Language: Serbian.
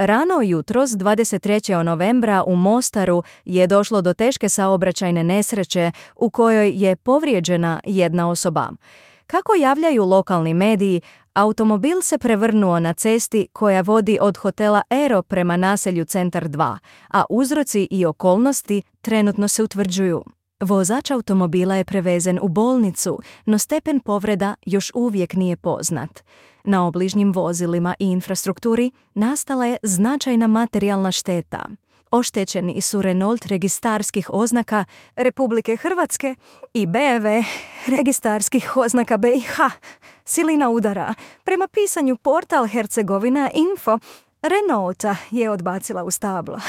Rano jutros 23. novembra u Mostaru je došlo do teške saobraćajne nesreće u kojoj je povrijeđena jedna osoba. Kako javljaju lokalni mediji, automobil se prevrnuo na cesti koja vodi od hotela Ero prema naselju Centar 2, a uzroci i okolnosti trenutno se utvrđuju. Vozač automobila je prevezen u bolnicu, no stepen povreda još uvijek nije poznat. Na obližnjim vozilima i infrastrukturi nastala je značajna materijalna šteta. Oštećeni su Renault registarskih oznaka Republike Hrvatske i BEV registarskih oznaka BiH. Silina udara. Prema pisanju portal Hercegovina Info, Renaulta je odbacila u stablo.